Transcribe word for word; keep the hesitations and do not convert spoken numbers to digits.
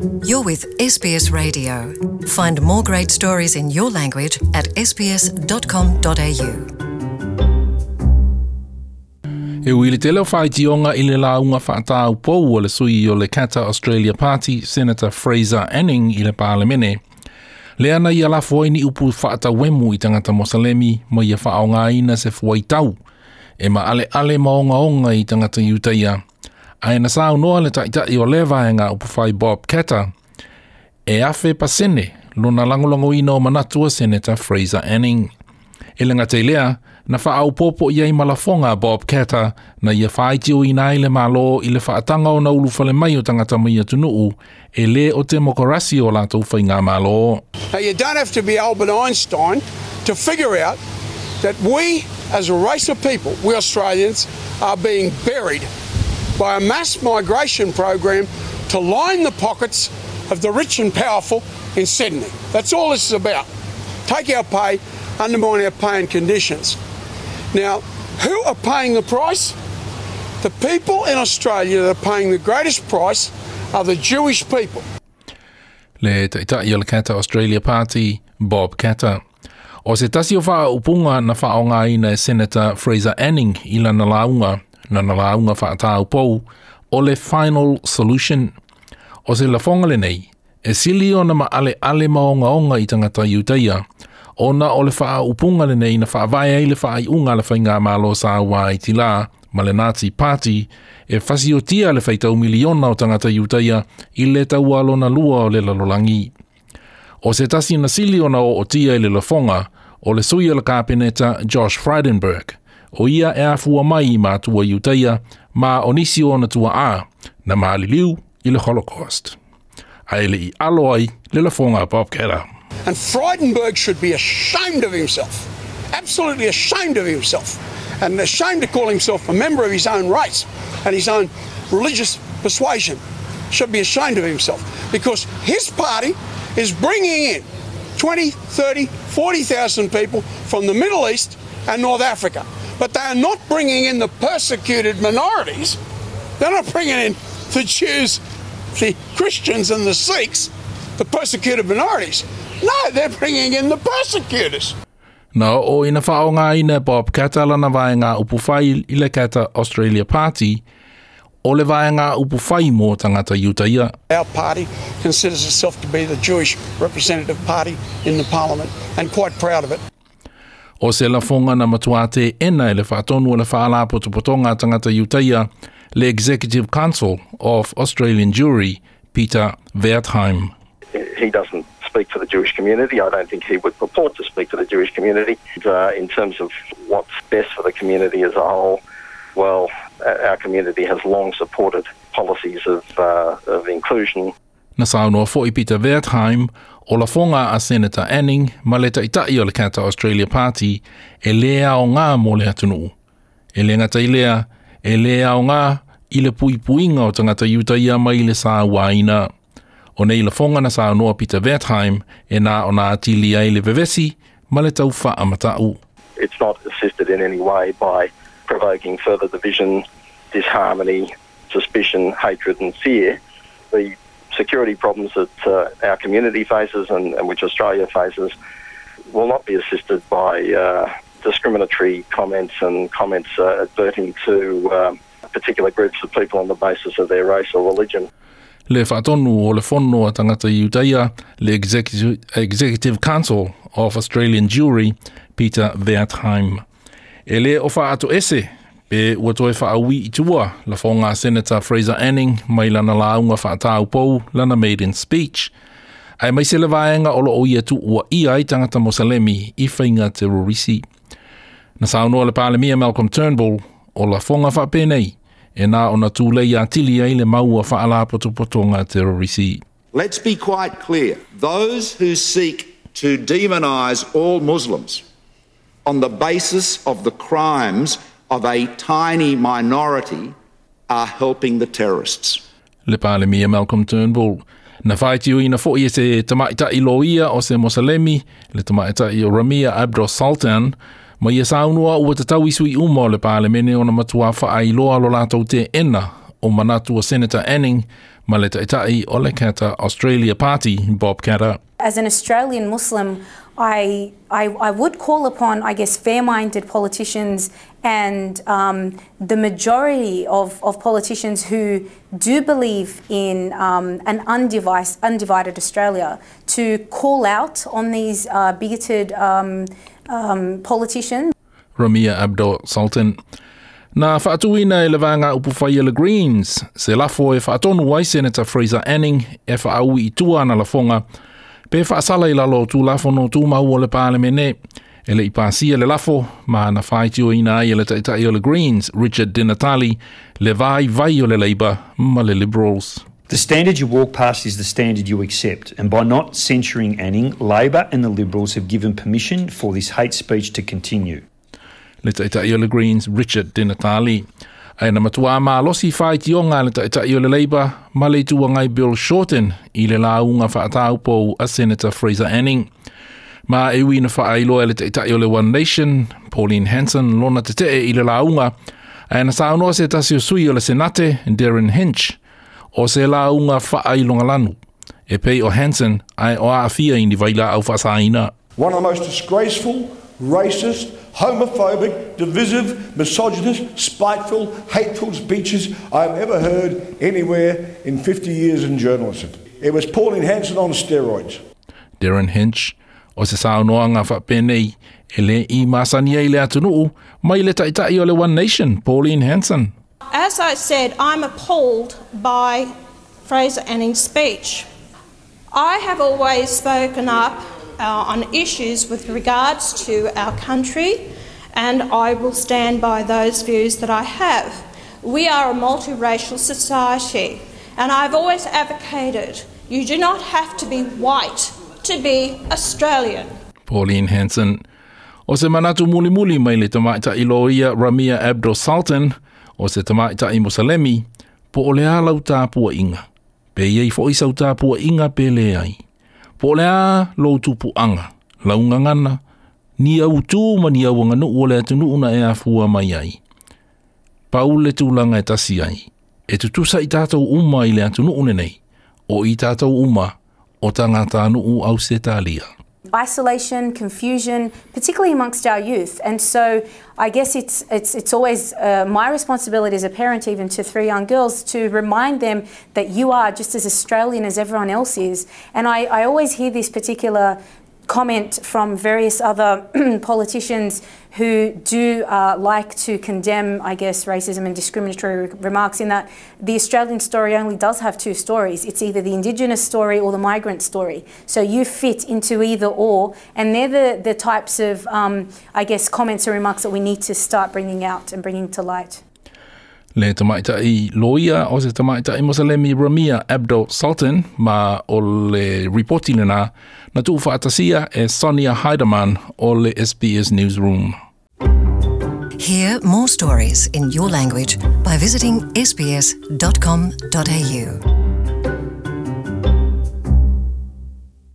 You're with S B S Radio. Find more great stories in your language at S B S dot com dot A U. E ui le tele o whaitionga i le lauga whaataupou o le sui o le Katter Australia Party, Senator Fraser Anning i le Parlemene. Lea na ia lafo ai ni upu whaatawemu i tangata Mosalemi ma ia whaongaina se fuaitau e ma ale ale maonga onga i tangata Iutaia. Ae na saunoa le taitai o le vaega upufai Bob Katter e afe pasene lona lagolagoina o manatu a Senator Fraser Anning. E le gata i lea, na faaopoopo i ai ma lafoga a Bob Katter na ia faitioina ai le Malo i le faataga ona ulufale mai o tagata mai atunuu e lē o temokarasi o latou faigamalo. Now, you don't have to be Albert Einstein to figure out that we, as a race of people, we Australians, are being buried by a mass migration program to line the pockets of the rich and powerful in Sydney. That's all this is about. Take our pay, undermine our pay and conditions. Now, who are paying the price? The people in Australia that are paying the greatest price are the Jewish people. Le taitai o le Katter Australia Party, Bob Katter. O se tasi o whaaupunga na whaongaina e Senator Fraser Anning i lana lauga, lana lauga whaataupou, o le final solution. O se lafoga lenei, e sili ona maaleale maogaoga i tagata Iutaia, ona o le faaupuga lenei na faavae ai le faaiuga a le faigamalo sa ua ai tilā ma le Nazi Party e fasiotia le faitau miliona o tagata Iutaia i le taua lona lua o le lalolagi. O se tasi na sili ona ootia i le lafoga o le sui o le kapeneta Josh Frydenberg, o ia e afua mai i matua Iutaia ma o nisi o ona tuaa na maliliu i le Holocaust. Ae le i alo ai le lafoga a Bob Katter. And Frydenberg should be ashamed of himself. Absolutely ashamed of himself. And ashamed to call himself a member of his own race and his own religious persuasion. Should be ashamed of himself. Because his party is bringing in twenty, thirty, forty thousand people from the Middle East and North Africa. But they are not bringing in the persecuted minorities. They're not bringing in the Jews, the Christians, and the Sikhs, the persecuted minorities. No, they're bringing in the persecutors. Na o ina whaongaina Bob Katter lana vaega upufai i le Katter Australia Party, o le vaega upufai mō tagata Iutaia. Our party considers itself to be the Jewish representative party in the parliament and quite proud of it. O se lafoga na matua teena e le faatonu o le faalapotopotoga a tagata Iutaia, le Executive Council of Australian Jewry, Peter Wertheim. He doesn't speak for the Jewish community. I don't think he would purport to speak for the Jewish community. Uh, in terms of what's best for the community as a whole, well, our community has long supported policies of, uh, of inclusion. Na saunoa foi Peter Wertheim o lafoga a Senator Anning ma le taitai o le Katter Australia Party e lē aogā mo le atunuu. E le gata i lea, e lē aogā i le puipuiga o tagata Iutaia mai le sauaina. O nei lafoga na saunoa Peter Wertheim e na ona atili ai le vevesi ma le tau faamatau. It's not assisted in any way by provoking further division, disharmony, suspicion, hatred and fear. The security problems that uh, our community faces and, and which Australia faces will not be assisted by uh, discriminatory comments and comments uh, adverting to um, particular groups of people on the basis of their race or religion. Le faatonu o le fono a tagata Iutaia, le Executive, Executive Council of Australian Jewry, Peter Wertheim. E lē o faatoese pe ua toe faauī i tua lafoga a Senator Fraser Anning mai lana lauga faataupou, lana maiden speech. Aemaise le vaega o loo ia tuuaia ai tagata Mosalemi i faiga terorisi. Na saunoa le Palemia Malcolm Turnbull o lafoga faapenei e na ona tulei atili ai le mau a faalapotopotoga terorisi. Let's be quite clear. Those who seek to demonise all Muslims on the basis of the crimes of a tiny minority are helping the terrorists. Le Palemia Malcolm Turnbull. Na faitioina foi e se tamaitai loia o se Mosalemi, le tamaitai o Ramia Abdul Sultan, ma ia saunoa ua tatau i sui uma o le Palemene ona matua faailoa lo latou teena O manatu o Senator Anning ma le ta'ita'i o le Katter Australia Party, Bob Katter. As an Australian Muslim, I, I, I would call upon, I guess, fair-minded politicians and um, the majority of, of politicians who do believe in um, an undivided, undivided Australia to call out on these uh, bigoted um, um, politicians. Ramia Abdul Sultan. Na whaatuina e le vānga upu le Greens, se lafo e whaatonu ai Senator Fraser Anning e whaaui i tua ana lafonga, pe whaasala i lalo tū lafo no tū mau o le pālemene. E le i pāsia le lafo, ma na whaitio ina ai e le taitai o le Greens, Richard Di Natale, le vai vai o le Labour ma le Liberals. The standard you walk past is the standard you accept, and by not censuring Anning, Labor and the Liberals have given permission for this hate speech to continue. Le taitai o le Greens, Richard Di Natale. Ae na matua malosi whaitionga le taitai o le Labour, ma le tuangai Bill Shorten i le launga whaataupou a Senator Fraser Anning. Ma e ui na whaailoa le taitai o le One Nation, Pauline Hanson, lona te tee i le launga, ae na saunoa se tasi o sui o le Senate, Derryn Hinch, o se launga whaailonga lanu. E pei o Hanson ae o aafia i ni vaila au whaasaina. One of the most disgraceful, racist, homophobic, divisive, misogynist, spiteful, hateful speeches I've ever heard anywhere in fifty years in journalism. It was Pauline Hanson on steroids. Derryn Hinch, o se saunoanga whapenei, e le i masania i le atunuu, mai le taitai o le One Nation, Pauline Hanson. As I said, I'm appalled by Fraser Anning's speech. I have always spoken up uh, on issues with regards to our country, and I will stand by those views that I have. We are a multiracial society, and I've always advocated you do not have to be white to be Australian. Pauline Hanson. O se manatu mulimuli mai le tamaitai loia Ramia Abdul Sultan, o se tamaitai Musalemi, po o le a lau tāpua inga. Pe iei fo i sau tāpua inga pe le ai. Po o le a lou tupuanga, lau ngangana, ni au tū ma ni au nganu o le atunu una e afua mai ai. Pau le tūlanga e tasi ai, e tutusa i tātou uma i le atunu une nei, o i tātou uma, o tangata nuu au se tālia. Isolation, confusion, particularly amongst our youth. And so I guess it's, it's, it's always uh, my responsibility as a parent, even to three young girls, to remind them that you are just as Australian as everyone else is. And I, I always hear this particular comment from various other politicians who do uh, like to condemn, I guess, racism and discriminatory remarks, in that the Australian story only does have two stories. It's either the Indigenous story or the migrant story. So you fit into either or, and they're the, the types of, um, I guess, comments or remarks that we need to start bringing out and bringing to light. Le tamaitai loia o se tamaitai Mosalemi Ramia Abdul Sultan ma o le ripoti lena na tuu whaatasia e Sonia Heidemann o le S B S Newsroom. Hear more stories in your language by visiting S B S dot com dot A U.